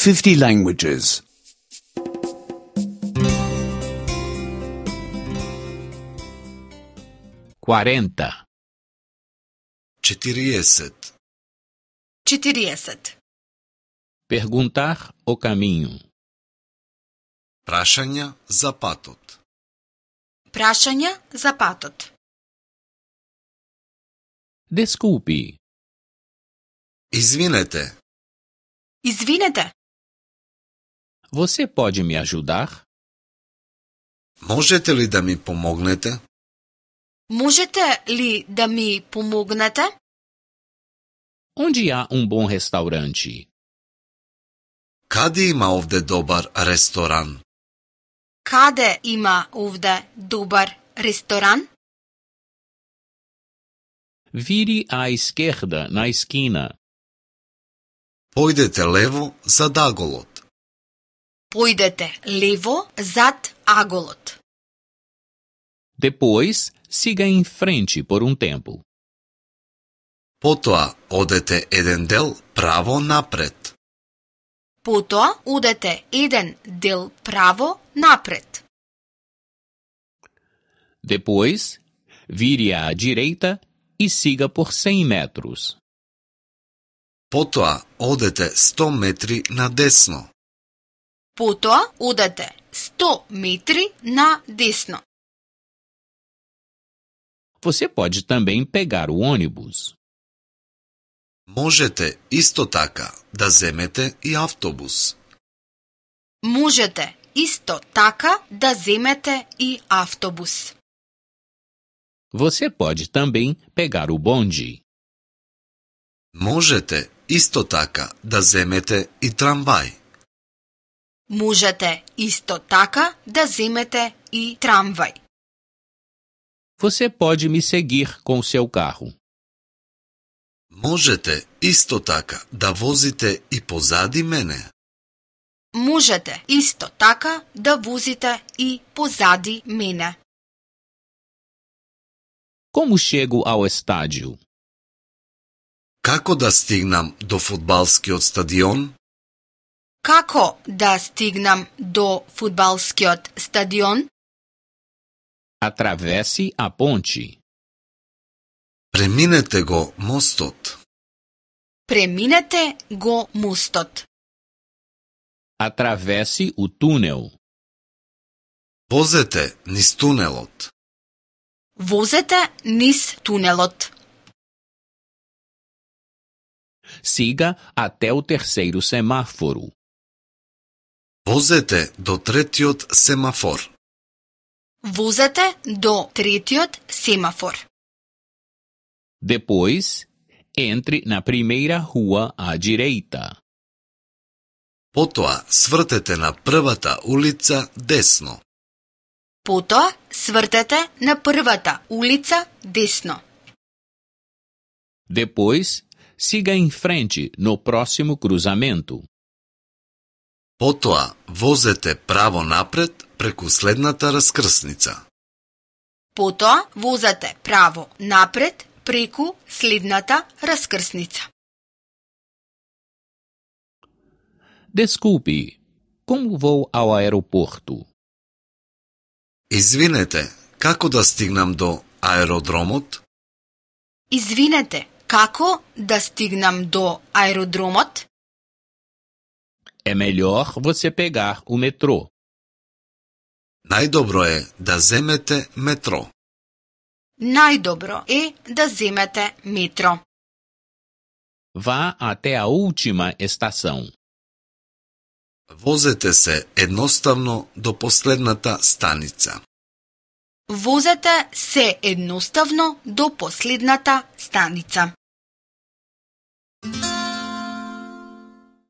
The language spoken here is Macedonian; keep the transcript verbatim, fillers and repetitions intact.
fifty languages. quarenta. четириесет. четириесет. Perguntar o caminho. Прашања за патот. Прашања за патот. Desculpe. Извинете, Извинете, Você pode me ajudar? можете ли да ми помогнете? можете ли да ми помогнете? Onde há um bom restaurante? Каде има овде добар ресторан? Каде има овде добар ресторан? Vire à esquerda na esquina. Појдете лево за аголот. Појдете лево зад аголот. Depois, siga em frente por um tempo. Потоа одете еден дел право напред. Потоа одете еден дел право напред. Depois, vire à direita e siga por cem metros. Потоа одете сто метри надесно. Потоа одете сто метри на десно. Você pode também pegar o ônibus. Можете исто така да земете и автобус. Можете исто така да земете и автобус. Você pode também pegar o bonde. Можете исто така да земете и трамвај. Можете исто така да земете и трамвај. Você pode me seguir com seu carro. Можете исто така да возите и позади мене. Можете исто така да возите и позади мене. Como chego ao estádio? Како да стигнам до фудбалскиот стадион? Како да стигнам до фудбалскиот стадион? Atravesse a ponte. Преминете го мостот. Преминете го мостот. Atravesse o túnel. Возете низ тунелот. Возете низ тунелот. Siga até o terceiro semáforo. Возете до третиот семафор. Возете до третиот семафор. Depois, entre na primeira rua à direita. Потоа свртете на првата улица десно. Потоа свртете на првата улица десно. Depois, siga em frente no próximo cruzamento. Потоа возете право напред преку следната раскрсница. Потоа возете право напред преку следната раскрсница. Desculpe, como vou ao aeroporto? Извинете, како да стигнам до аеродромот? Извинете, како да стигнам до аеродромот? É melhor você pegar o metrô. Најдобро е да земете метро. Најдобро е да земете метро. Vá até a última estação. Возете се едноставно до последната станица. Возете се едноставно до последната станица.